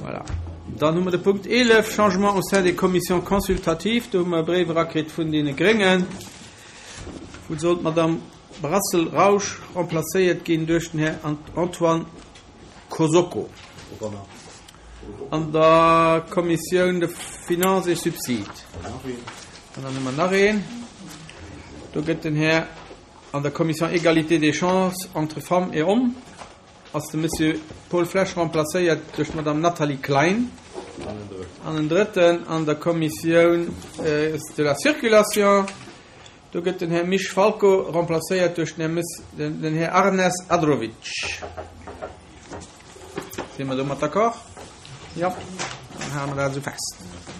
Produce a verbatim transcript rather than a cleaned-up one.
Voilà. Dann hu mer de Punkt eelef, Changements au sein des commissions consultatives. Do hu mer e Bréif erakritt vun deene Gréngen, wou soll d'Madame Brassel Rausch remplacéiert ginn duerch den Här Antoine Kosoko an der Kommissioun de Finances et Subsides. An dann hu mer nach een, do gëtt den Här an der Commission Égalité des chances entre femmes et hommes ass de Monsieur Paul Flesch remplacéiert duerch d'Madame Nathalie Klein. An en drëtten an der Kommissioun de la Circulation, do gëtt den Här Misch Falco remplacéiert duerch den Här, den Här Arnes Adrovic. Si mer domat d'accord? Jo, dann hale mer dat esou fest.